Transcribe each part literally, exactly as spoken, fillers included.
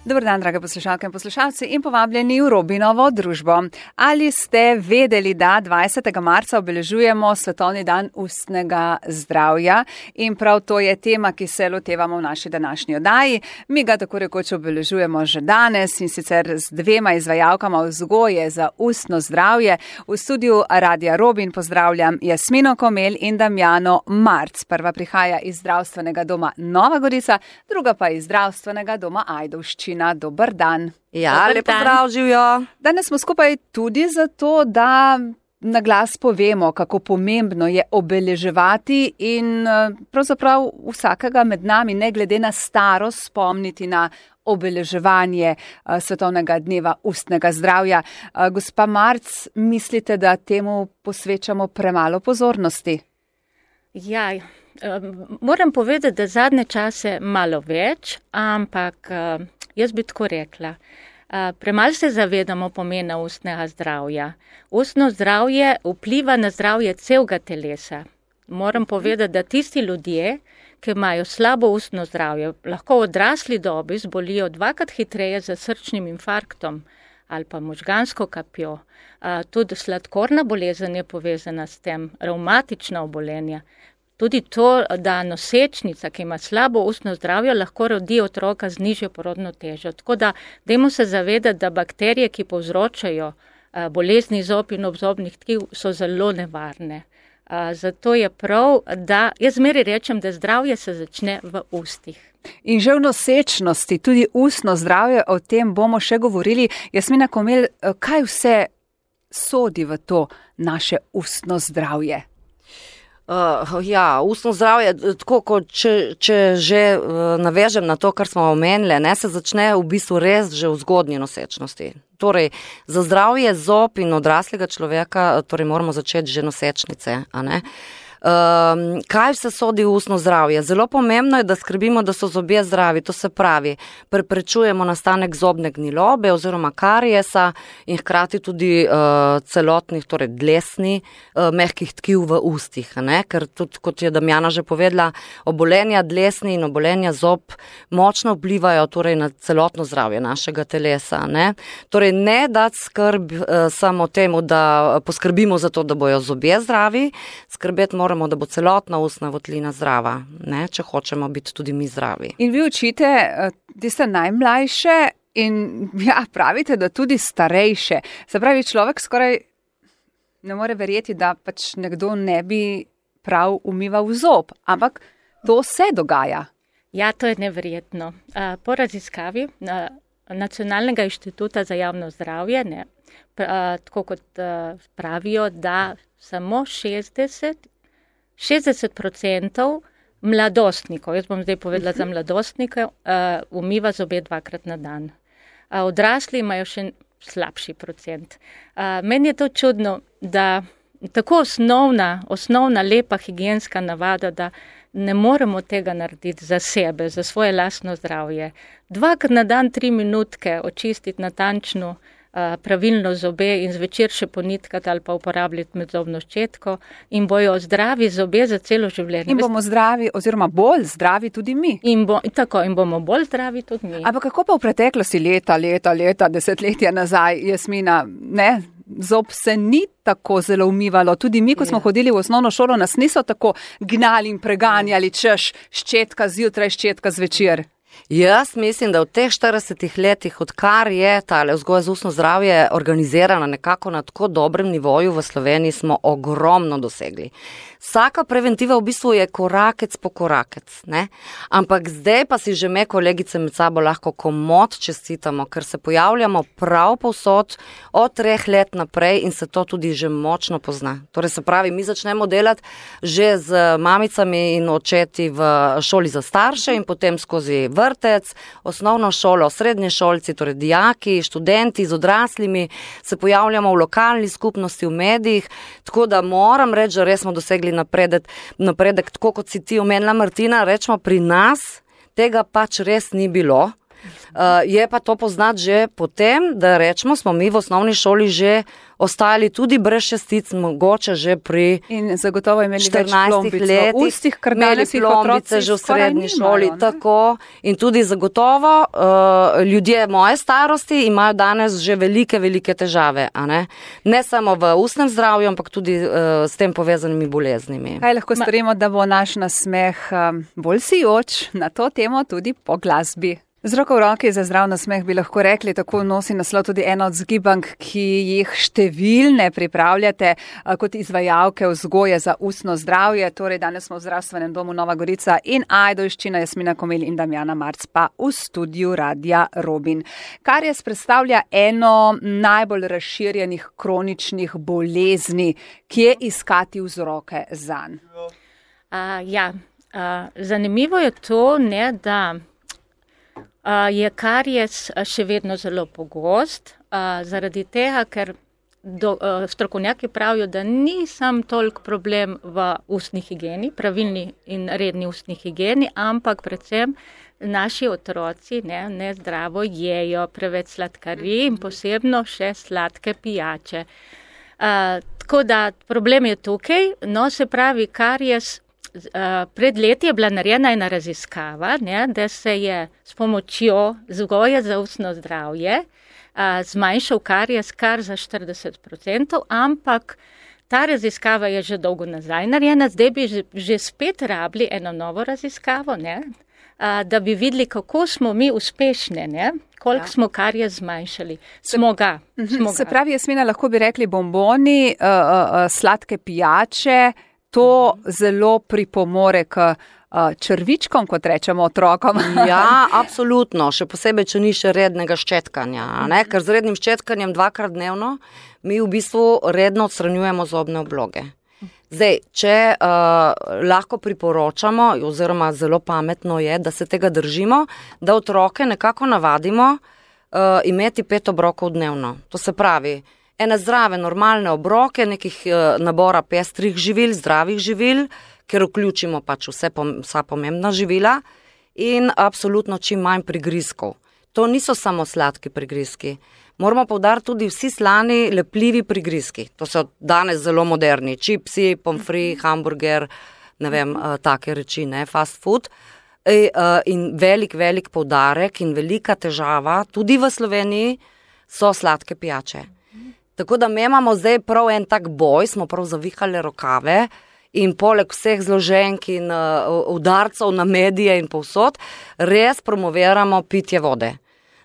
Dober dan, drage poslušalke in poslušalci in povabljeni v Robinovo družbo. Ali ste vedeli, da dvajsetega marca obeležujemo Svetovni dan ustnega zdravja in prav to je tema, ki se lotevamo v naši današnji oddaji. Mi ga tako rekoč obeležujemo že danes in sicer z dvema izvajalkama vzgoje za ustno zdravje. V studiu Radia Robin pozdravljam Jasmino Komelj in Damjano Marc. Prva prihaja iz zdravstvenega doma Nova Gorica, druga pa iz zdravstvenega doma Ajdovščina. Dober dan. Ja, lepo zdrav, živijo. Danes smo skupaj tudi zato, da na glas povemo, kako pomembno je obeleževati in pravzaprav vsakega med nami, ne glede na starost, spomniti na obeleževanje Svetovnega dneva ustnega zdravja. Gospa Marc, mislite, da temu posvečamo premalo pozornosti? Ja, moram povedati, da zadnje čase malo več, ampak jaz bi tako rekla. Premalo se zavedamo pomena ustnega zdravja. Ustno zdravje vpliva na zdravje celega telesa. Moram povedati, da tisti ljudje, ki imajo slabo ustno zdravje, lahko v odrasli dobi zbolijo dvakrat hitreje za srčnim infarktom ali pa možgansko kapjo. Tudi sladkorna bolezen je povezana s tem, revmatična obolenja. Tudi to, da nosečnica, ki ima slabo ustno zdravje, lahko rodi otroka z nižjo porodno težo. Tako da dajmo se zavedati, da bakterije, ki povzročajo bolezni zob in obzobnih tkiv, so zelo nevarne. Zato je prav, da jaz zmeraj rečem, da zdravje se začne v ustih. In že v nosečnosti, tudi ustno zdravje, o tem bomo še govorili. Jasmina Komelj, kaj vse sodi v to naše ustno zdravje? Uh, ja, ustno zdravje, tako kot če, če že uh, navežem na to, kar smo omenili, ne, se začne v bistvu res že v zgodnji nosečnosti. Torej, za zdravje zob in odraslega človeka, torej moramo začeti že nosečnice, a ne? Um, kaj vse sodi v ustno zdravje? Zelo pomembno je, da skrbimo, da so zobje zdravi, to se pravi, preprečujemo nastanek zobne gnilobe oziroma kariesa in hkrati tudi uh, celotnih, torej dlesni, uh, mehkih tkiv v ustih, ne? Ker tudi, kot je Damjana že povedala, obolenja dlesni in obolenja zob močno vplivajo torej na celotno zdravje našega telesa, ne? Torej, ne dati skrb uh, samo temu, da poskrbimo za to, da bojo zobje zdravi, skrbeti moramo Moramo, da bo celotna ustna votlina zdrava, ne, če hočemo biti tudi mi zdravi. In vi učite tiste najmlajše in ja, pravite, da tudi starejše. Se pravi, človek skoraj ne more verjeti, da pač nekdo ne bi prav umival zob, ampak to se dogaja. Ja, to je neverjetno. Po raziskavi Nacionalnega inštituta za javno zdravje, ne, tako kot pravijo, da samo šestdeset šestdeset procentov mladostnikov, jaz bom zdaj povedala za mladostnike, uh, umiva zobe dvakrat na dan. Uh, odrasli imajo še slabši procent. Uh, meni je to čudno, da tako osnovna, osnovna lepa higienska navada, da ne moremo tega narediti za sebe, za svoje lastno zdravje. Dvakrat na dan tri minutke očistiti natančno pravilno zobe in zvečer še ponitkati ali pa uporabljati medzobno ščetko in bojo zdravi zobe za celo življenje. In bomo zdravi oziroma bolj zdravi tudi mi. In, bo, tako, in bomo bolj zdravi tudi mi. Ampak kako pa v preteklosti leta, leta, leta, desetletja nazaj, Jasmina, ne? Zob se ni tako zelo umivalo. Tudi mi, ko smo ja. hodili v osnovno šolo, nas niso tako gnali in preganjali, češ ščetka zjutraj, ščetka zvečer. Jaz mislim, da v teh štiridesetih letih, odkar je tale vzgoja za ustno zdravje organizirana nekako na tako dobrem nivoju v Sloveniji, smo ogromno dosegli. Vsaka preventiva v bistvu je korakec po korakec, ne? Ampak zdaj pa si že me kolegice med sabo lahko komot čestitamo, ker se pojavljamo prav povsod od treh let naprej in se to tudi že močno pozna. Torej se pravi, mi začnemo delati že z mamicami in očeti v šoli za starše in potem skozi vrtec, osnovno šolo, srednje šolci, torej dijaki, študenti z odraslimi, se pojavljamo v lokalni skupnosti, v medijih, tako da moram reči, da res smo dosegli napredek, napredek, tako kot si ti omenila, Martina, rečemo, pri nas tega pač res ni bilo. Uh, je pa to poznati že potem, da rečemo, smo mi v osnovni šoli že ostali tudi brez šestic, mogoče že pri in zagotovo imeli štirinástih letih, ustih, kar imeli plombice že v srednji šoli, ne? Tako. In tudi zagotovo uh, ljudje moje starosti imajo danes že velike, velike težave, a ne? Ne samo v ustnem zdravju, ampak tudi uh, s tem povezanimi boleznimi. Kaj lahko storimo, da bo naš nasmeh um, bolj sijoč, na to temo tudi po glasbi? Z roko v roki za zdrav nasmeh bi lahko rekli, tako nosi naslov tudi ena od zgibank, ki jih številne pripravljate kot izvajalke vzgoje za ustno zdravje. Torej, danes smo v Zdravstvenem domu Nova Gorica in Ajdovščina, Jasmina Komel in Damjana Marc pa v studiu Radia Robin. Karies predstavlja eno najbolj razširjenih kroničnih bolezni, kje iskati vzroke zanj? Uh, ja, uh, zanimivo je to, ne, da Uh, je karies še vedno zelo pogost, uh, zaradi tega, ker do, uh, strokovnjaki pravijo, da ni sam toliko problem v ustni higieni, pravilni in redni ustni higieni, ampak predvsem naši otroci ne, ne zdravo jejo, preveč sladkarij in posebno še sladke pijače. Uh, tako da problem je tukaj, no se pravi karies. Pred leti je bila narejena ena raziskava, ne, da se je s pomočjo vzgoje za ustno zdravje a, zmanjšal karies kar za štirideset procentov, ampak ta raziskava je že dolgo nazaj narejena, zdaj bi že, že spet rabili eno novo raziskavo, ne, a, da bi videli, kako smo mi uspešne, ne, koliko ja. smo karies zmanjšali. Smo ga. Smo se ga. pravi, Jasmina, lahko bi rekli bomboni, uh, uh, sladke pijače, to zelo pripomore k uh, črvičkom, kot rečemo otrokom. Ja, absolutno. Še posebej, če ni še rednega ščetkanja. Ne? Ker z rednim ščetkanjem dvakrat dnevno mi v bistvu redno odstranjujemo zobne obloge. Zdaj, če uh, lahko priporočamo, oziroma zelo pametno je, da se tega držimo, da otroke nekako navadimo uh, imeti pet obrokov dnevno. To se pravi, ene zdrave, normalne obroke, nekih uh, nabora pestrih živil, zdravih živil, ker vključimo pač vse, vsa pomembna živila in absolutno čim manj prigrizkov. To niso samo sladki prigrizki. Moramo poudariti tudi vsi slani, lepljivi prigrizki. To so danes zelo moderni. Čipsi, pomfri, hamburger, ne vem, uh, take reči, ne, fast food. E, uh, in velik, velik poudarek in velika težava, tudi v Sloveniji, so sladke pijače. Tako da mi imamo zdaj prav en tak boj, smo prav zavihali rokave in poleg vseh zloženk in uh, udarcev na medije in povsod, res promoviramo pitje vode.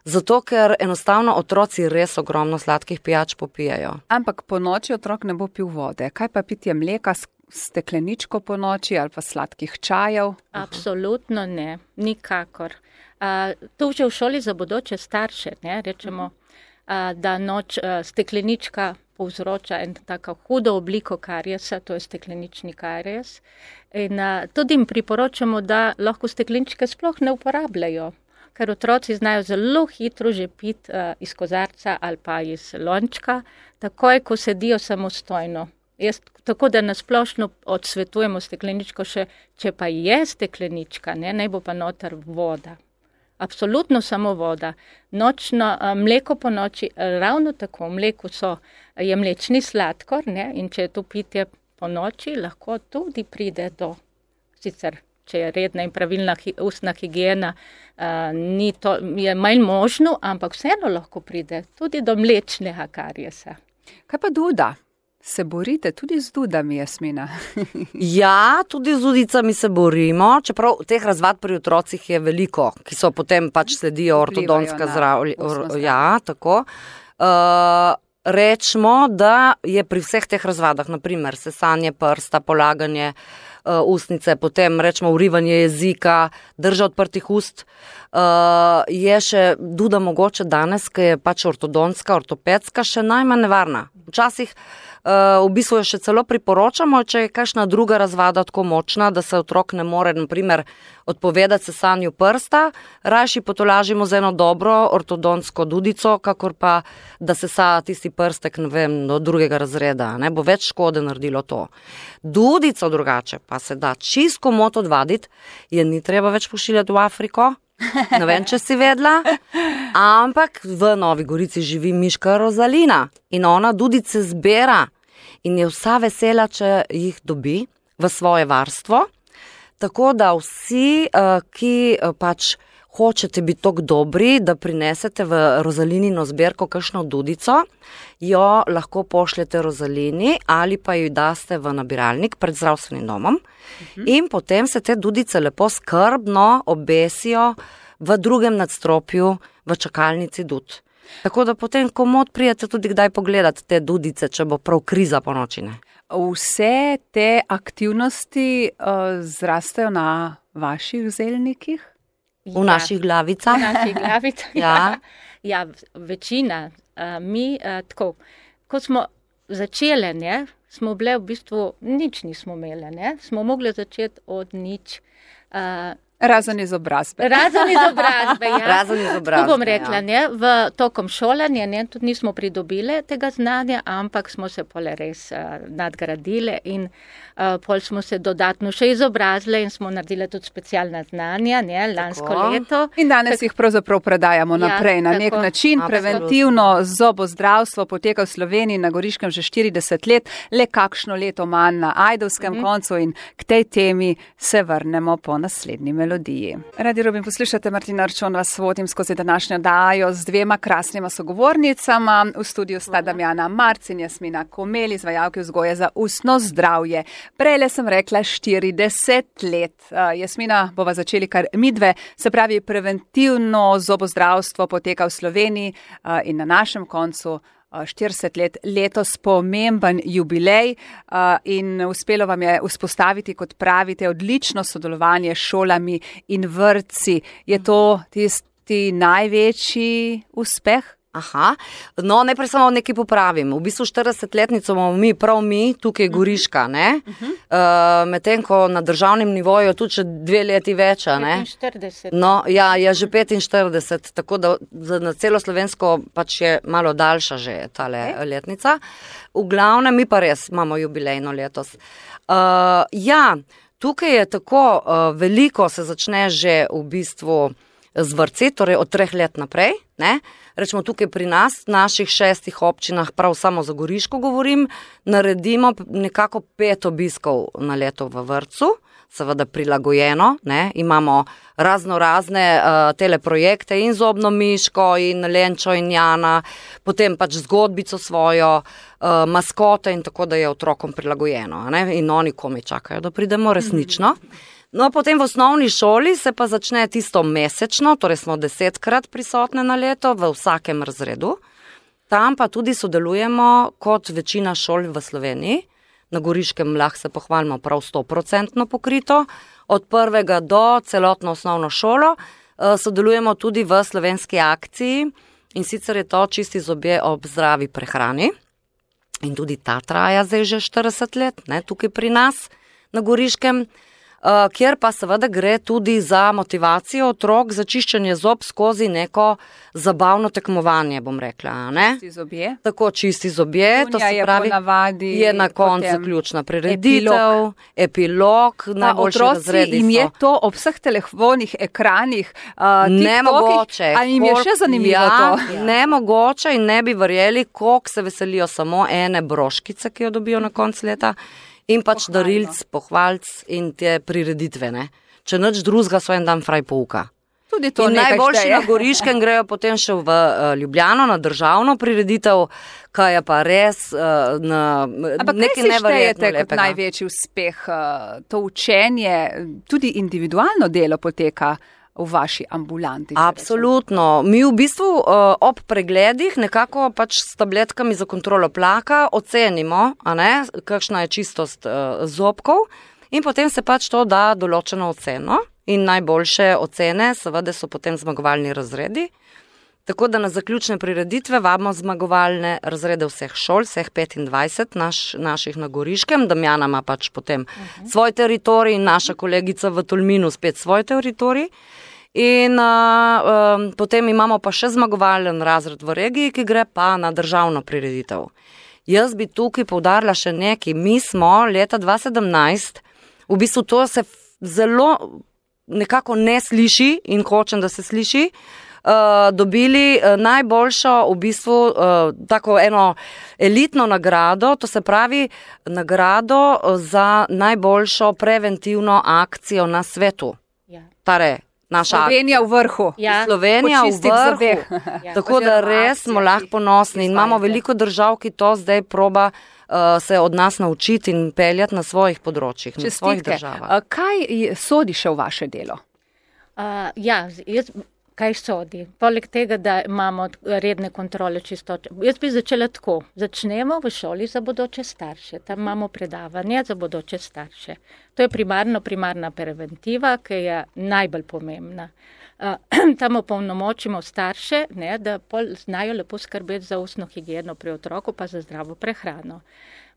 Zato, ker enostavno otroci res ogromno sladkih pijač popijajo. Ampak po noči otrok ne bo pil vode. Kaj pa pitje mleka, stekleničko po noči ali pa sladkih čajev? Absolutno ne, nikakor. Uh, to že v šoli za bodoče starše, ne, rečemo, da noč steklenička povzroča en tako hudo obliko kariesa, to je steklenični karies. In tudi jim priporočamo, da lahko stekleničke sploh ne uporabljajo, ker otroci znajo zelo hitro že piti iz kozarca ali pa iz lončka, takoj, ko sedijo samostojno. Jaz, tako da nasplošno odsvetujemo stekleničko, še, če pa je steklenička, ne, naj bo pa noter voda. Absolutno samo voda. Nočno, mleko po noči, ravno tako, v mleku so, je mlečni sladkor, ne, in če je to pitje po noči, lahko tudi pride do, sicer, če je redna in pravilna hi, ustna higiena, uh, ni to, je manj možno, ampak vseeno lahko pride tudi do mlečnega kariesa. Kaj pa duda? Se borite tudi z dudami, Jasmina? Ja, tudi z dudicami se borimo, čeprav teh razvad pri otrocih je veliko, ki so potem pač sledijo ortodonska zdravlja. Ja, tako. Uh, rečemo, da je pri vseh teh razvadah, naprimer sesanje prsta, polaganje uh, ustnice, potem rečemo urivanje jezika, drža odprtih ust, uh, je še duda mogoče danes, ki je pač ortodonska, ortopedska, še najmanj nevarna. Včasih Uh, v bistvu jo še celo priporočamo, če je kakšna druga razvada tako močna, da se otrok ne more, naprimer, odpovedati sesanju prsta, rajši potolažimo z eno dobro ortodonsko dudico, kakor pa, da sesa tisti prstek, ne vem, do drugega razreda, ne bo več škode naredilo to. Dudico drugače pa se da čisto komot odvaditi, je ni treba več pošiljati v Afriko, Ne vem, če si vedela, ampak v Novi Gorici živi miška Rozalina in ona dudice zbira in je vsa vesela, če jih dobi v svoje varstvo. Tako da vsi, ki pač hočete biti tako dobri, da prinesete v Rozalinino zbirko kakšno dudico, jo lahko pošljete Rozalini ali pa jo daste v nabiralnik pred zdravstvenim domom uh-huh. in potem se te dudice lepo skrbno obesijo v drugem nadstropju v čakalnici dud. Tako da potem komod prijete tudi kdaj pogledati te dudice, če bo prav kriza po noči. Ne? Vse te aktivnosti uh, zrastejo na vaših zelnikih? V ja. naših glavicah. V naših glavicah, ja. ja. Večina. Uh, mi, uh, tako, ko smo začeli, ne, smo bile v bistvu, nič nismo imeli, ne, smo mogli začeti od nič. Uh, Razen izobrazbe. Razen izobrazbe, ja. Razen izobrazbe, to bom rekla, ja. ne, v tokom šolanja, ne, tudi nismo pridobile tega znanja, ampak smo se pole res uh, nadgradile in uh, pol smo se dodatno še izobrazile in smo naredile tudi specialna znanja, ne, lansko tako. leto. In danes tak, jih pravzaprav predajamo ja, naprej na nek tako. način. Absolutno. Preventivno zobozdravstvo poteka v Sloveniji na Goriškem že štirideset let, le kakšno leto manj na ajdovskem mm. koncu in k tej temi se vrnemo po naslednji melodiji. Radio Rubin, poslušate, Martina Arčon vas vodim skozi današnjo dajo z dvema krasnima sogovornicama. V studiu sta Damjana Marc in Jasmina Komel, izvajalki vzgoje za ustno zdravje. Prejle sem rekla štirideset let. Uh, Jasmina, bova začeli kar midve, se pravi preventivno zobozdravstvo poteka v Sloveniji uh, in na našem koncu štirideset let, letos pomemben jubilej in uspelo vam je vzpostaviti, kot pravite, odlično sodelovanje s šolami in vrtci. Je to tisti največji uspeh? Aha, no najprej samo nekaj popravim. V bistvu štiridesetletnico imamo mi, prav mi, tukaj Goriška, ne? Uh-huh. Uh, medtem ko na državnem nivoju tudi še dve leti več, ne? petinštirideset. No, ja, je že petinštirideset, tako da na celo Slovensko pač je malo daljša že tale okay. letnica. V glavnem mi pa res imamo jubilejno letos. Uh, ja, tukaj je tako uh, veliko se začne že v bistvu z vrtci, torej od treh let naprej, ne? Rečemo tukaj pri nas, v naših šestih občinah, prav samo za Goriško govorim, naredimo nekako pet obiskov na leto v vrtcu, seveda prilagojeno, ne? Imamo razno razne uh, teleprojekte in zobno miško in Lenčo in Jana, potem pač zgodbico svojo, uh, maskote in tako, da je otrokom prilagojeno, ne? In oni komi čakajo, da pridemo resnično. No, potem v osnovni šoli se pa začne tisto mesečno, torej smo desetkrat prisotne na leto v vsakem razredu. Tam pa tudi sodelujemo kot večina šol v Sloveniji. Na Goriškem lahko se pohvalimo prav sto procentno pokrito. Od prvega do celotno osnovno šolo sodelujemo tudi v slovenski akciji in sicer je to Čisti zobje ob zdravi prehrani. In tudi ta traja zdaj že štirideset let, ne, tukaj pri nas na Goriškem. Uh, kjer pa seveda gre tudi za motivacijo otrok za čiščenje zob skozi neko zabavno tekmovanje, bom rekla. Ne? Čisti zobje. Tako, čisti zobje, Dunja to se je pravi, ponavadi, je na koncu zaključna prireditev, epilog, epilog najboljši razredi so. In je to ob vseh telefonih, ekranih, uh, nemogoče. Ali jim je še zanimivo ja, to? Ja. Nemogoče in ne bi verjeli, koliko se veselijo samo ene broškice, ki jo dobijo na koncu leta. In pač Pohvalno. darilc, pohvalc in te prireditve, ne. Če nič drugega so en dan fraj pouka. Tudi to in najboljši na Goriškem grejo potem še v uh, Ljubljano na državno prireditev, kaj je pa res uh, na nekaj neverjetno lepega. Kot največji uspeh, uh, to učenje, tudi individualno delo poteka v vaši ambulanti. Absolutno. Mi v bistvu uh, ob pregledih nekako pač s tabletkami za kontrolo tlaka ocenimo, a ne, kakšna je čistost uh, zobkov in potem se pač to da določeno oceno in najboljše ocene seveda so potem zmagovalni razredi. Tako da na zaključne prireditve vabimo zmagovalne razrede vseh šol, vseh petindvajset naš, naših na Goriškem. Damjana ima pač potem uh-huh. svoj teritorij in naša kolegica v Tolminu spet svoj teritorij. In uh, um, potem imamo pa še zmagovalen razred v regiji, ki gre pa na državno prireditev. Jaz bi tukaj poudarila še nekaj. Mi smo leta dva sedemnajst, v bistvu to se zelo nekako ne sliši in hočem, da se sliši, Uh, dobili uh, najboljšo, v bistvu, uh, tako eno elitno nagrado, to se pravi nagrado za najboljšo preventivno akcijo na svetu. Ja. Tare, naša Slovenija v vrhu. Ja. Slovenija v vrhu. Ja. Tako da res smo lahko ponosni in imamo veliko držav, ki to zdaj proba uh, se od nas naučiti in peljati na svojih področjih, na svojih državah. Uh, kaj sodi še v vaše delo? Uh, ja, jaz... Kaj sodi? Poleg tega, da imamo redne kontrole čistoče. Jaz bi začela tako. Začnemo v šoli za bodoče starše. Tam imamo predavanje za bodoče starše. To je primarno primarna preventiva, ki je najbolj pomembna. Uh, tam opolnomočimo starše, ne, da pol znajo lepo skrbeti za ustno higieno pri otroku, pa za zdravo prehrano.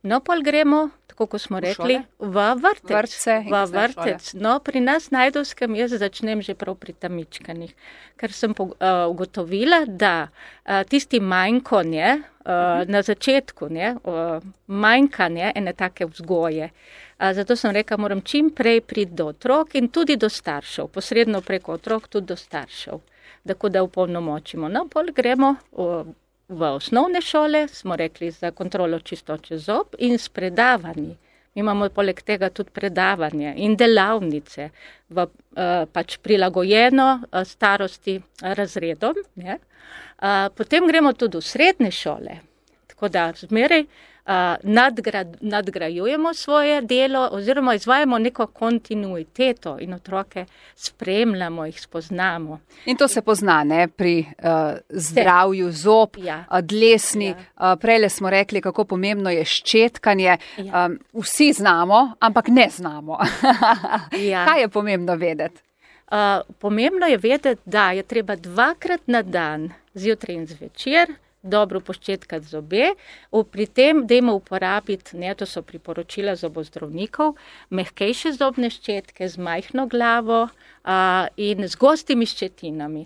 No, pol gremo, tako kot smo rekli, v vrtec. Vrtce v vrtec. No, pri nas na Ajdovskem jaz začnem že prav pri tamičkanih, ker sem uh, ugotovila, da uh, tisti manjkanje uh, na začetku, ne, uh, manjkanje ene take vzgoje. Uh, zato sem rekla, moram čim prej priti do otrok in tudi do staršev, posredno preko otrok tudi do staršev, tako da upolnomočimo. No, pol gremo uh, v osnovne šole, smo rekli, za kontrolo čistoče zob in s predavanji. Mi imamo poleg tega tudi predavanje in delavnice v uh, pač prilagojeno uh, starosti razredom. Ne? Uh, potem gremo tudi v srednje šole, tako da zmeraj uh, nadgrad, nadgrajujemo svoje delo oziroma izvajamo neko kontinuiteto in otroke spremljamo, jih spoznamo. In to se pozna, ne, pri uh, zdravju zob, ja. dlesni. Ja. Uh, prejle smo rekli, kako pomembno je ščetkanje. Ja. Um, vsi znamo, ampak ne znamo. Ja. Kaj je pomembno vedeti? Uh, pomembno je vedeti, da je treba dvakrat na dan, zjutraj in zvečer, dobro poščetkati zobe. Pri tem dajmo uporabiti, ne, to so priporočila zobozdravnikov, mehkejše zobne ščetke z majhno glavo uh, in z gostimi ščetinami.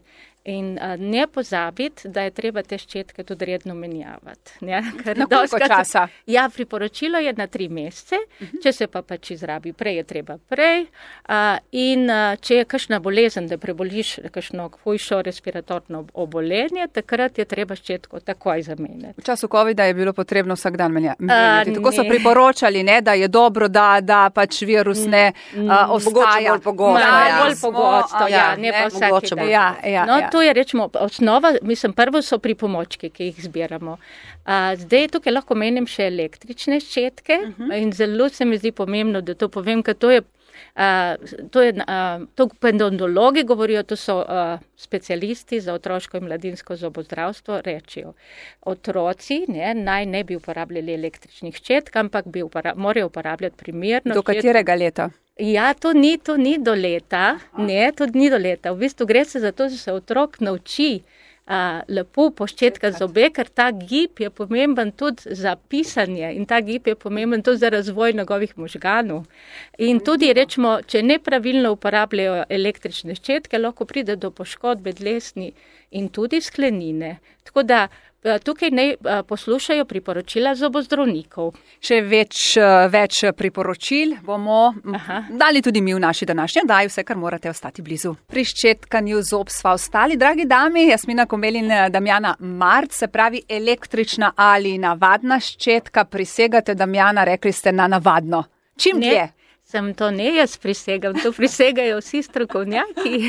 In uh, ne pozabiti, da je treba te ščetke tudi redno menjavati. Ne? Na koliko časa? Ja, priporočilo je na tri mesece, uh-huh. Če se pa pač izrabi prej, je treba prej. Uh, in uh, če je kakšna bolezen, da preboliš kakšno hujšo respiratorno obolenje, takrat je treba ščetko takoj zamenjati. V času covida je bilo potrebno vsak dan menjati. Uh, Tako so priporočali, ne, da je dobro, da, da pač virus ne uh, ostaja. Bolj pogosto. Ja, bolj pogosto, ja, ne, ne pa vsaki dan. Ja, ja, no, ja. To je, rečemo, osnova, mislim, prvo so pripomočki, ki jih zbiramo. A, zdaj tukaj lahko menim še električne ščetke uh-huh. In zelo se mi zdi pomembno, da to povem, ker to je, a, to je, a, to pendontologi govorijo, to so a, specialisti za otroško in mladinsko zobozdravstvo, rečijo. Otroci ne, naj ne bi uporabljali električnih ščetk, ampak bi upora, morajo uporabljati primerno. Do katerega leta? Ja, to ni, to ni do leta, ne, to ni do leta. V bistvu gre se za to, da se otrok nauči a, lepo poščetkati zobe, ker ta gib je pomemben tudi za pisanje in ta gib je pomemben tudi za razvoj njegovih možganov. In tudi, rečemo, če nepravilno uporabljajo električne ščetke, lahko pride do poškodbe dlesni in tudi sklenine. Tako da tukaj ne poslušajo priporočila zobozdravnikov. Še več, več priporočil bomo Aha. dali tudi mi v naši današnji oddaji, vse, kar morate ostati blizu. Pri ščetkanju zob sva ostali, dragi dami, Jasmina Komelj in Damjana Marc, se pravi električna ali navadna ščetka. Prisegate, Damjana, rekli ste na navadno. Čim dlje? Sem to ne jaz prisegam, to prisegajo vsi strokovnjaki,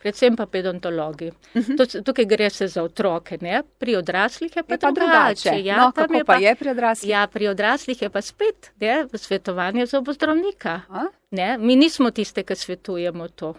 predvsem pa pedontologi. Uh-huh. Tukaj gre se za otroke, ne? Pri odraslih je pa, je pa drugače. drugače. Ja, no, kako je pa, pa je pri odraslih? Ja, pri odraslih je pa spet ne, svetovanje zobozdravnika. Ne? Mi nismo tiste, ki svetujemo to.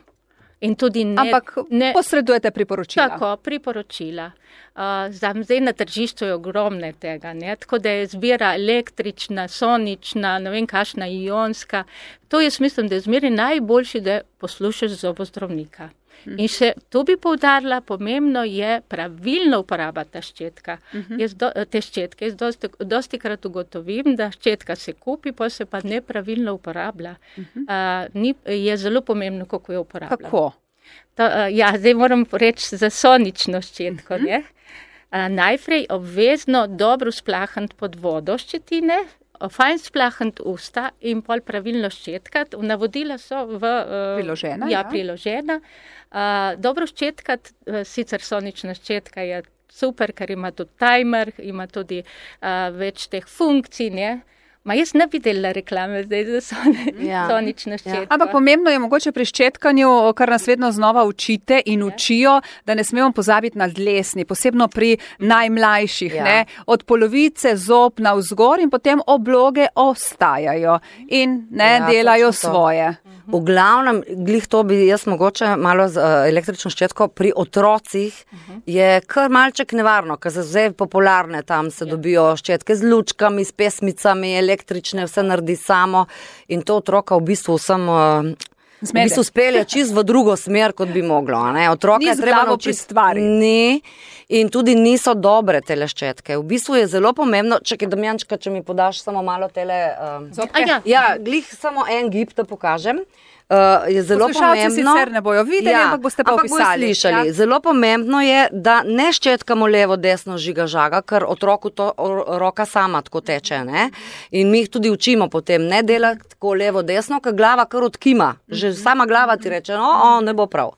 In tudi ne, Ampak ne, posredujete priporočila. Tako, priporočila. Uh, zdaj na tržišču je ogromne tega, ne? Tako da je zbira električna, sonična, ne vem kašna, ionska. To jaz mislim, da je zmeri najboljši, da poslušaš zobozdravnika. Hmm. In še tu bi poudarila, pomembno je pravilno uporaba ta ščetka. Hmm. Jaz do, te ščetke, jaz dosti, dosti krat ugotovim, da ščetka se kupi, pa se pa nepravilno uporablja. Hmm. Uh, ni, je zelo pomembno, kako jo uporabljamo. Kako? To, uh, ja, zdaj moram reči za sonično ščetko, hmm. ne? Uh, najprej obvezno dobro splahant pod vodo ščetine fajn splahniti usta in pol pravilno ščetkati. Navodila so v, priložena. Ja, ja. priložena. Uh, dobro ščetkati, uh, sicer sonična ščetka je super, ker ima tudi timer, ima tudi uh, več teh funkcij, ne? Ma jaz ne videla reklame zdaj za son, ja. sonično ščetko. Ja. Ampak pomembno je mogoče pri ščetkanju, kar nas vedno znova učite in ja. učijo, da ne smemo pozabiti na dlesni, posebno pri najmlajših. Ja. Ne? Od polovice zob na vzgor in potem obloge ostajajo in ne ja, delajo svoje. V glavnem, glih to bi jaz mogoče malo z uh, električno ščetko, pri otrocih uh-huh. je kar malček nevarno, ker se zdaj popularne tam se ja. dobijo ščetke z lučkami, s pesmicami, električne, vse naredi samo in to otroka v bistvu vsem uh, v bistvu spelje čist v drugo smer, kot bi moglo. Ne? Otroka ni je treba naučiti stvari. Ni in tudi niso dobre tele ščetke. V bistvu je zelo pomembno, čakaj Damjančka, če mi podaš samo malo tele... Um, ja. ja, glih samo en gib, da pokažem. Uh, je zelo pomembno. Sicer ne bojo videli, ja, ampak boste pa ampak opisali. Slišali. Ja. Zelo pomembno je, da ne ščetkamo levo, desno, žiga, žaga, ker otroku to roka sama tako teče. Ne? In mi jih tudi učimo potem, ne delati tako levo, desno, ker glava kar odkima. Že sama glava ti reče, no, o, ne bo prav.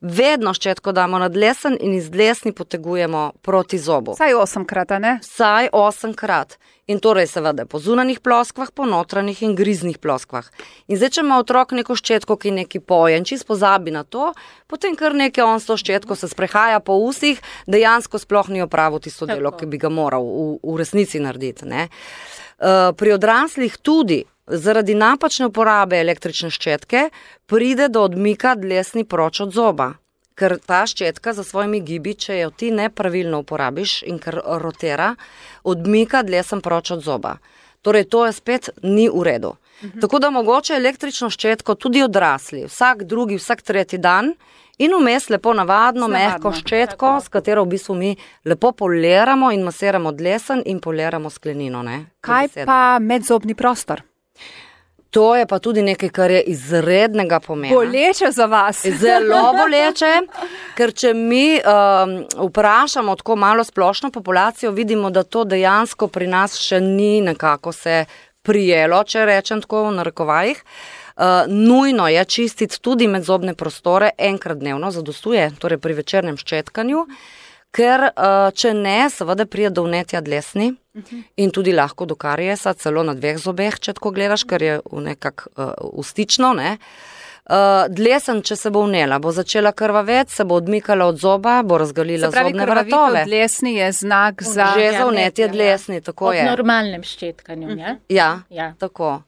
Vedno ščetko damo na dlesen in iz dlesni potegujemo proti zobu. Vsaj osemkrat, a ne? Vsaj osemkrat. In torej seveda po zunanih ploskvah, po notranjih in griznih ploskvah. In zdaj, če ima otrok neko ščetko, ki neki poje in čist pozabi na to, potem kar nekaj on s to ščetko se sprehaja po usih, dejansko sploh ni opravil tisto delo, ki bi ga moral v, v resnici narediti. Ne? Uh, pri odraslih tudi zaradi napačne uporabe električne ščetke pride do odmika dlesni proč od zoba. Ker ta ščetka za svojimi gibi, če jo ti nepravilno uporabiš in ker rotira, odmika dlesen proč od zoba. Torej, to je spet ni v redu. Uh-huh. Tako da mogoče električno ščetko tudi odrasli, vsak drugi, vsak tretji dan in vmes lepo navadno, mehko ščetko, tako. S katero v bistvu mi lepo poliramo in masiramo dlesen in poliramo sklenino. Ne? Kaj pa medzobni prostor? To je pa tudi nekaj, kar je izrednega pomena. Boleče za vas. Zelo boleče, ker če mi um, vprašamo tako malo splošno populacijo, vidimo, da to dejansko pri nas še ni nekako se prijelo, če rečem tako v narekovajih. Uh, nujno je čistiti tudi medzobne prostore enkrat dnevno, zadostuje, torej pri večernem ščetkanju, ker uh, če ne, seveda pride do vnetja dlesni uh-huh. in tudi lahko do kariesa, celo na dveh zobeh, če tako gledaš, ker je nekak uh, ustično. Ne? Uh, dlesen, če se bo vnela, bo začela krvaveti, se bo odmikala od zoba, bo razgalila pravi, zobne vratove. Se pravi, krvavitev dlesni je znak za... Že za vnetje dlesni, tako od je. Od normalnem ščetkanju, uh-huh. ja? Ja, ja, tako.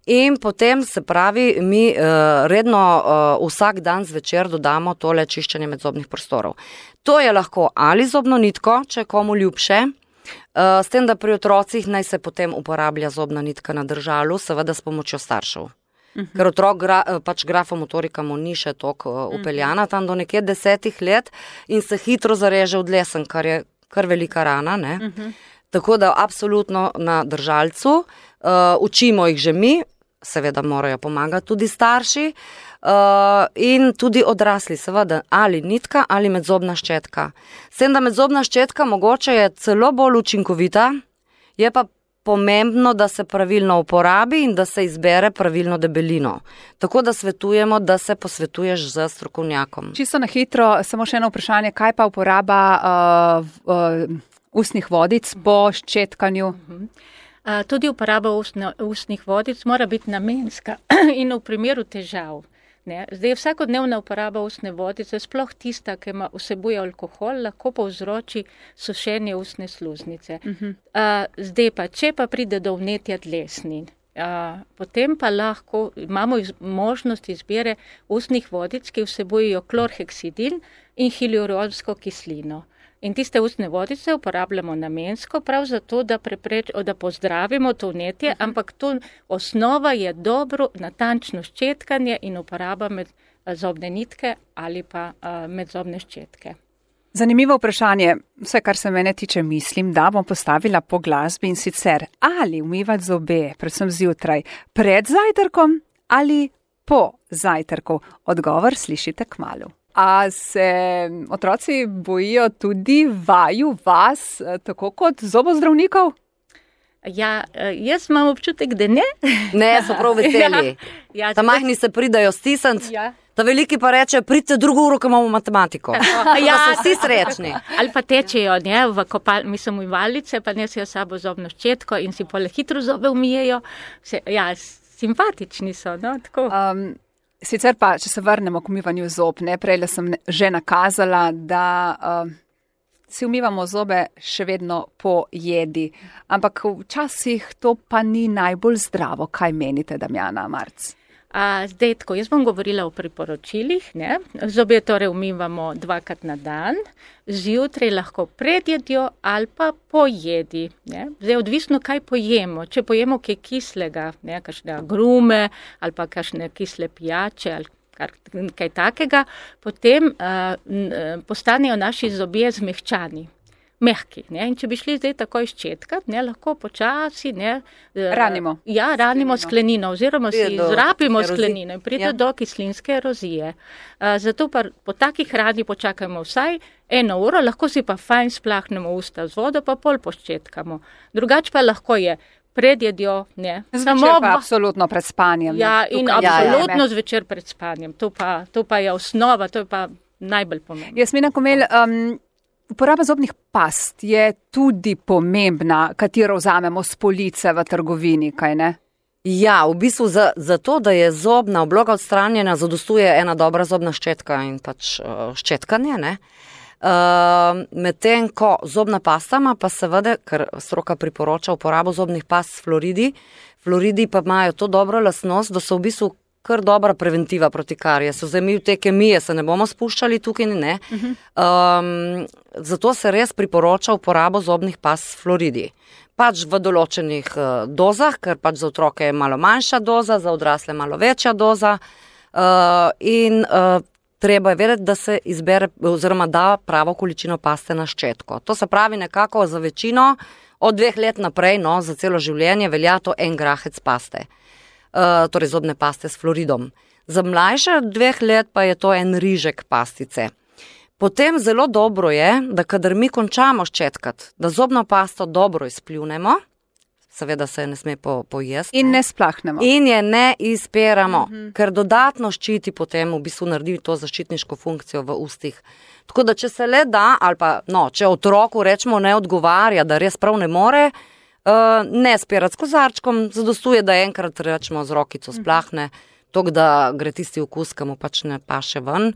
In potem se pravi, mi uh, redno uh, vsak dan zvečer dodamo tole čiščenje medzobnih prostorov. To je lahko ali zobno nitko, če je komu ljubše, uh, s tem, da pri otrocih naj se potem uporablja zobna nitka na držalu, seveda s pomočjo staršev. Uh-huh. Ker otrok gra, pač grafomotorika mu ni še toliko uh, upeljana, tam do nekje desetih let in se hitro zareže v dlesen, kar je kar velika rana, ne? Uh-huh. Tako da absolutno na držalcu, uh, učimo jih že mi, seveda morajo pomagati tudi starši uh, in tudi odrasli, seveda ali nitka ali medzobna ščetka. Sem da medzobna ščetka mogoče je celo bolj učinkovita, je pa pomembno, da se pravilno uporabi in da se izbere pravilno debelino. Tako da svetujemo, da se posvetuješ z strokovnjakom. Čisto na hitro, samo še eno vprašanje, kaj pa uporaba uh, uh, ustnih vodic po ščetkanju? Uh-huh. Uh, tudi uporaba ustno, ustnih vodic mora biti namenska in v primeru težav. Ne? Zdaj, vsakodnevna uporaba ustne vodice, sploh tista, ki ima vsebuje alkohol, lahko povzroči sušenje ustne sluznice. Uh-huh. Uh, zdaj pa, če pa pride do vnetja dlesni, uh, potem pa lahko imamo iz, možnost izbire ustnih vodic, ki vsebujejo klorheksidin in hialuronsko kislino. In tiste ustne vodice uporabljamo namensko, prav zato, da, prepreč, da pozdravimo to vnetje, uh-huh. ampak to osnova je dobro, natančno ščetkanje in uporaba med zobne nitke ali pa uh, medzobne ščetke. Zanimivo vprašanje, vse kar se mene tiče, mislim, da bom postavila po glasbi in sicer ali umivati zobe, predvsem zjutraj, pred zajtrkom ali po zajtrku. Odgovor slišite kmalu. A se otroci bojijo tudi vaju, vas, tako kot zobozdravnikov? Ja, jaz imam občutek, da ne. Ne, so prav veseli. Ja, ja, ta majhni se pridajo stisniti, ja. Ta veliki pa reče, pridite drugo uro, ko imamo matematiko. Ja, so vsi srečni. Ali pa tečejo, ne, v kopal, mislim, v valice, pa nesijo sabo zobno ščetko in si pole hitro zobe umijejo. Se, ja, simpatični so, no, tako. Um, sicer pa, če se vrnemo k umivanju zob, ne, prej sem že nakazala, da uh, si umivamo zobe še vedno po jedi, ampak včasih to pa ni najbolj zdravo. Kaj menite, Damjana Marc? A, zdaj, tako, jaz bom govorila o priporočilih, ne. Zobe torej umivamo dvakrat na dan, zjutraj lahko pred jedjo ali pa po jedi, ne. Zdaj, odvisno, kaj pojemo. Če pojemo kaj kislega, ne, kakšne agrume ali pa kakšne kisle pijače ali kar, kaj takega, potem uh, postanejo naši zobje zmehčani. Mehki, ne, in če bi šli zdaj takoj ščetkat, ne, lahko počasi, ne. Ranimo. Ja, ranimo sklenino, oziroma si zrapimo sklenino in pride ja. do kislinske erozije. Uh, zato pa po takih rani počakajmo vsaj eno uro, lahko si pa fajn splahnemo usta z vodo, pa pol poščetkamo. Drugač pa lahko je pred jedjo, ne. Zvečer Samo pa absolutno pred spanjem. Ja, ne, in tukaj, absolutno ja, ja, zvečer pred spanjem. To pa, to pa je osnova, to je pa najbolj pomembno. Jasmina Komel, um, uporaba zobnih past je tudi pomembna, katero vzamemo s police v trgovini, kaj ne? Ja, v bistvu za, za to, da je zobna obloga odstranjena, zadostuje ena dobra zobna ščetka in pač uh, ščetkanje, ne. Uh, medtem ko zobna pastama pa seveda, ker stroka priporoča uporabo zobnih past s fluoridi, fluoridi pa imajo to dobro lastnost, da so v bistvu kar dobra preventiva proti karijesu. Zdaj mi v te kemije se ne bomo spuščali tukaj, ne. Um, zato se res priporoča uporabo zobnih past s fluoridi. Pač v določenih uh, dozah, ker pač za otroke je malo manjša doza, za odrasle malo večja doza uh, in uh, treba je vedeti, da se izbere oziroma da pravo količino paste na ščetko. To se pravi nekako za večino od dveh let naprej, no, za celo življenje velja to en grahec paste. Uh, torej zobne paste s fluoridom. Za mlajše od dveh let pa je to en rižek pastice. Potem zelo dobro je, da kadar mi končamo ščetkat, da zobno pasto dobro izpljunemo, seveda se ne sme po, pojesti. In ne splahnemo. In je ne izperamo, uh-huh. ker dodatno ščiti potem, v bistvu naredi to zaščitniško funkcijo v ustih. Tako da, če se le da, ali pa, no, če otroku rečemo ne odgovarja, da res prav ne more, Uh, ne spirati s kozarčkom, zadostuje, da enkrat rečemo z rokico splahne, tok da gre tisti okus, ki mu pač ne paše ven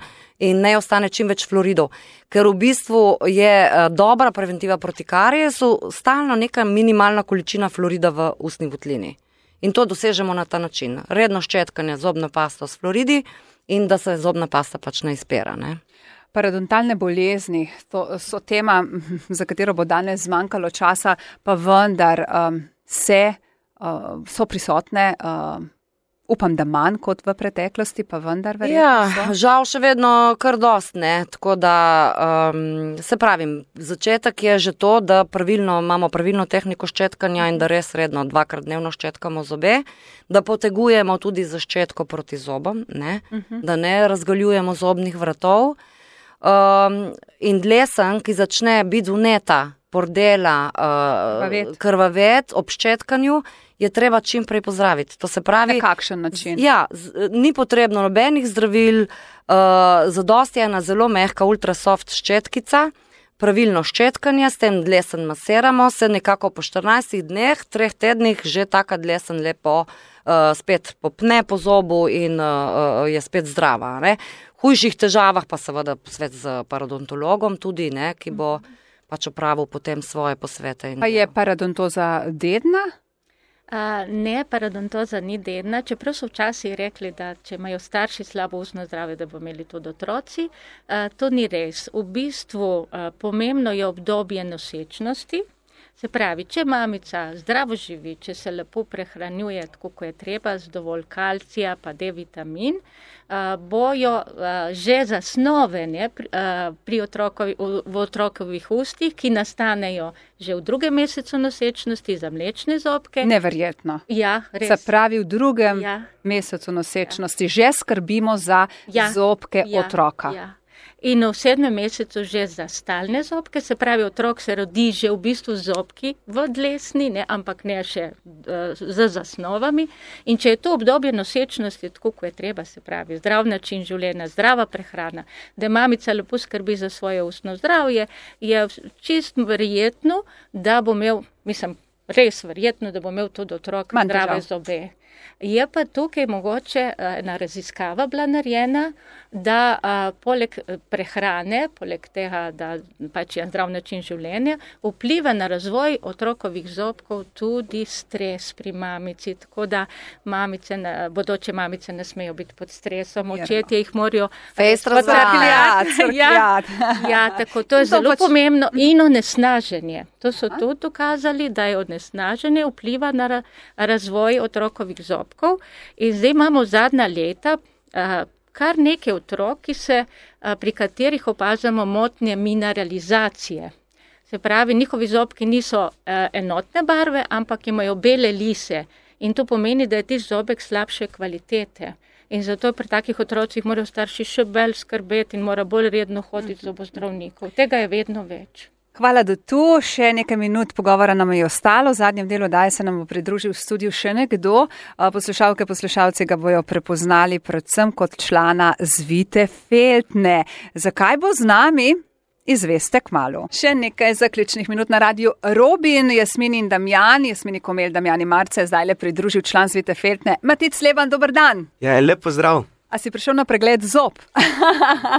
in ne ostane čim več fluoridov. Ker v bistvu je uh, dobra preventiva proti karijesu stalno neka minimalna količina fluorida v ustni votlini. In to dosežemo na ta način. Redno ščetkanje zobno pasto s fluoridi in da se zobna pasta pač ne izpera, ne. Parodontalne bolezni, to so tema, za katero bo danes zmanjkalo časa, pa vendar um, se, uh, so prisotne, uh, upam, da manj kot v preteklosti, pa vendar verjetno ja, so. Žal še vedno kar dost, ne, tako da um, se pravim, začetek je že to, da pravilno, imamo pravilno tehniko ščetkanja in da res redno dvakrat dnevno ščetkamo zobe, da potegujemo tudi za ščetko proti zobom, ne, uh-huh. da ne razgaljujemo zobnih vratov. Um, in dlesen, ki začne biti vneta, pordela, uh, krvavet ob ščetkanju, je treba čim prej pozdraviti. To se pravi, na kakšen način? Ja, z, ni potrebno nobenih zdravil, uh, zadosti je ena zelo mehka ultrasoft ščetkica, pravilno ščetkanje, s tem dlesen masiramo, se nekako po štirinajstih dneh, treh tednih že taka dlesen lepo uh, spet popne po zobu in uh, je spet zdrava, ne. Hujših težavah pa seveda posvet z parodontologom tudi, ne, ki bo pač opravil potem svoje posvete. Pa je parodontoza dedna? Uh, ne, parodontoza ni dedna, čeprav so včasih rekli, da če imajo starši slabo ustno zdravje, da bo imeli tudi otroci. Uh, to ni res. V bistvu uh, pomembno je obdobje nosečnosti. Se pravi, če mamica zdravo živi, če se lepo prehranjuje tako, kot je treba, z dovolj kalcija pa D vitamin, uh, bojo uh, že zasnove, ne, pri, uh, pri otrokovi, v, v otrokovih ustih, ki nastanejo že v drugem mesecu nosečnosti za mlečne zobke. Neverjetno. Ja, res. Se pravi, v drugem ja. mesecu nosečnosti ja. že skrbimo za ja. zobke ja. otroka. Ja. in v sedmem mesecu že za stalne zobke, se pravi, otrok se rodi že v bistvu z zobki v dlesni, ne, ampak ne še uh, z zasnovami. In če je to obdobje nosečnosti, tako kot je treba, se pravi, zdrav način življenja, zdrava prehrana, da mamica lepo skrbi za svoje ustno zdravje, je čist verjetno, da bo imel, mislim, res verjetno, da bo imel tudi otrok zdrave zobe. Je pa tukaj mogoče ena raziskava bila narejena, da a, poleg prehrane, poleg tega, da pač je zdrav način življenja, vpliva na razvoj otrokovih zobkov tudi stres pri mamici, tako da mamice, bodoče mamice ne smejo biti pod stresom, očetje jih morajo potrkljati. Ja, ja, tako, to je zelo pač pomembno in onesnaženje. To so tudi dokazali, da je onesnaženje vpliva na razvoj otrokovih zobkov. In zdaj imamo zadnja leta a, kar nekaj otrok, ki se, a, pri katerih opazamo motnje mineralizacije. Se pravi, njihovi zobki niso a, enotne barve, ampak imajo bele lise. In to pomeni, da je tisti zobek slabše kvalitete. In zato pri takih otrocih morajo starši še bolj skrbeti in mora bolj redno hoditi z zobozdravnikov. Tega je vedno več. Hvala, da tu. Še nekaj minut pogovora nam je ostalo. V zadnjem delu daje se nam bo pridružil v studiu še nekdo. Poslušalke, poslušalci ga bojo prepoznali predvsem kot člana Zvite Feltne. Zakaj bo z nami? Izveste kmalu. Še nekaj zaključnih minut na radiju Robin, Jasmini in Damjan, Jasmini Komel, Damjani Marce, zdaj le pridružil član Zvite Feltne. Matic Leban, dober dan. Ja, lep pozdrav. A si prišel na pregled zob?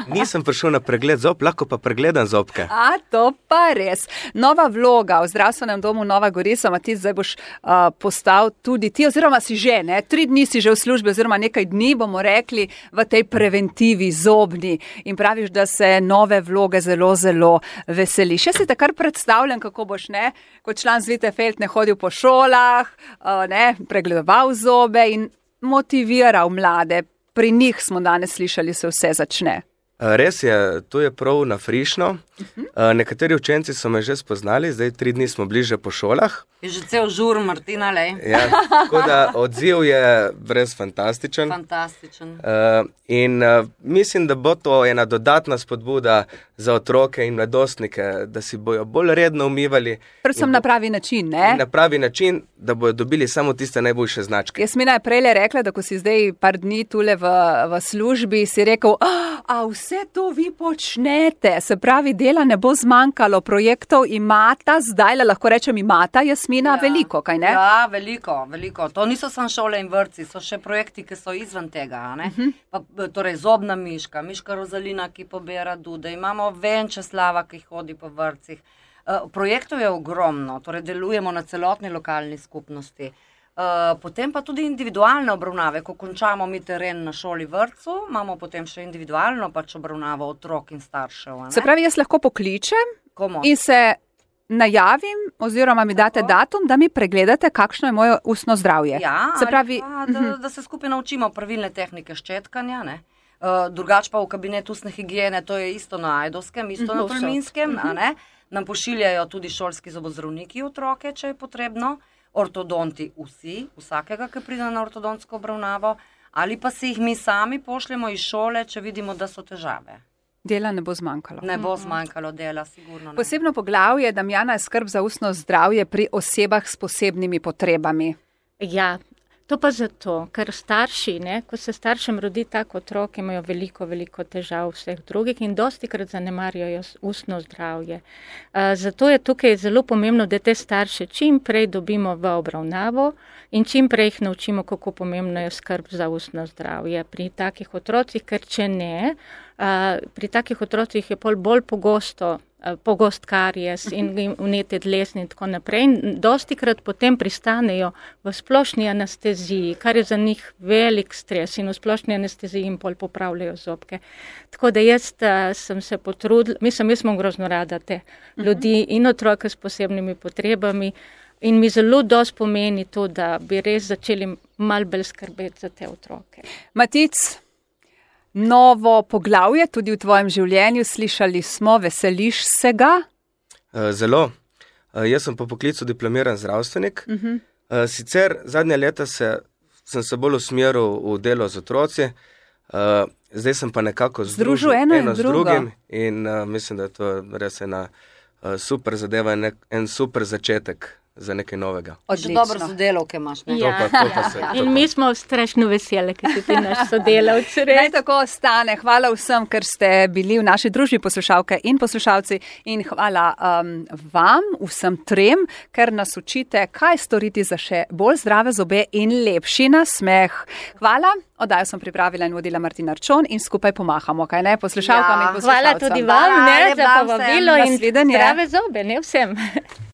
Nisem prišel na pregled zob, lahko pa pregledam zobke. A, to pa res. Nova vloga v zdravstvenem domu Nova Gorica, Matic, zdaj boš uh, postal tudi ti, oziroma si že, ne? Tri dni si že v službi, oziroma nekaj dni, bomo rekli, v tej preventivi zobni. In praviš, da se nove vloge zelo, zelo veseli. Še si te kar predstavljam, kako boš, ne, kot član Zvite Feltne hodil po šolah, uh, ne, pregledoval zobe in motiviral mlade. Pri njih smo danes slišali, se vse začne. Res je, to je prav na frišno. Uh-huh. Nekateri učenci so me že spoznali, zdaj tri dni smo bliže po šolah. Je že cel žur, Martina, lej. Ja, tako da odziv je res fantastičen. Fantastičen. Uh, in uh, mislim, da bo to ena dodatna spodbuda za otroke in mladostnike, da si bojo bolj redno umivali. Predvsem na pravi način, ne? Na pravi način, da bojo dobili samo tiste najboljše značke. Jasmina je prejle rekla, da ko si zdaj par dni tule v, v službi, si rekel, a vse to vi počnete, se pravi, dela ne bo zmanjkalo, projektov imata, zdaj le lahko rečem imata, Jasmina, ja, veliko, kaj ne? Ja, veliko, veliko. To niso samo šole in vrtci, so še projekti, ki so izven tega, ne? Uh-huh. Pa, torej zobna miška, miška Rozalina, ki pobira dude, imamo Venčeslava, ki hodi po vrtcih. Uh, projektov je ogromno, torej delujemo na celotni lokalni skupnosti. Uh, potem pa tudi individualne obravnave, ko končamo mi teren na šoli vrtcu, imamo potem še individualno pač obravnavo otrok in staršev. Se pravi, jaz lahko pokličem Komu? In se najavim oziroma mi date Tako? datum, da mi pregledate, kakšno je moje ustno zdravje. Ja, se pravi, pa, da, da se skupaj naučimo pravilne tehnike ščetkanja, ne? Uh, drugač pa v kabinet ustne higiene, to je isto na Ajdovskem, isto na Tolminskem, a ne? Nam pošiljajo tudi šolski zobozdravniki otroke, če je potrebno. Ortodonti vsi, vsakega, ki pride na ortodontsko obravnavo, ali pa si jih mi sami pošljemo iz šole, če vidimo, da so težave. Dela ne bo zmanjkalo. Ne bo zmanjkalo dela, sigurno ne. Posebno poglavje, Damjana, je skrb za ustno zdravje pri osebah s posebnimi potrebami. Ja, to pa zato, ker starši, ne, ko se staršem rodi tak otrok, imajo veliko, veliko težav vseh drugih in dostikrat zanemarjajo ustno zdravje. Uh, zato je tukaj zelo pomembno, da te starše čim prej dobimo v obravnavo in čim prej jih naučimo, kako pomembno je skrb za ustno zdravje pri takih otrocih, ker če ne, uh, pri takih otrocih je pol bolj pogosto pogost karies in vnetje dlesni in tako naprej. In dostikrat potem pristanejo v splošni anesteziji, kar je za njih velik stres in v splošni anesteziji jim pol popravljajo zobke. Tako da jaz uh, sem se potrudila, mislim, jaz sem grozno rada te ljudi in otroke s posebnimi potrebami in mi zelo dosti pomeni to, da bi res začeli malo bolj skrbeti za te otroke. Matic, novo poglavje tudi v tvojem življenju, slišali smo, veseliš se ga? Zelo. Jaz sem po poklicu diplomiran zdravstvenik. Uh-huh. Sicer zadnja leta se, sem se bolj usmeril v delo z otroci zdaj sem pa nekako Združil združil eno in eno z drugo. drugim in uh, mislim, da je to res ena uh, super zadeva in nek, en super začetek za nekaj novega. Že dobro sodelavke imaš, ne? To pa, to pa se, to In pa. mi smo strašno veseli, ker si ti naš sodelavc. Naj Res. tako ostane. Hvala vsem, ker ste bili v naši družbi, poslušalke in poslušalci, in hvala um, vam, vsem trem, ker nas učite, kaj storiti za še bolj zdrave zobe in lepši nasmeh. Hvala. Oddajo sem pripravila in vodila Martina Arčon in skupaj pomahamo, kaj ne, poslušalkam Ja, in poslušalcem. Hvala tudi vam, Hvala, ne, lep za dan vsem. povabilo in Nasvidenje. zdrave zobe, ne vsem.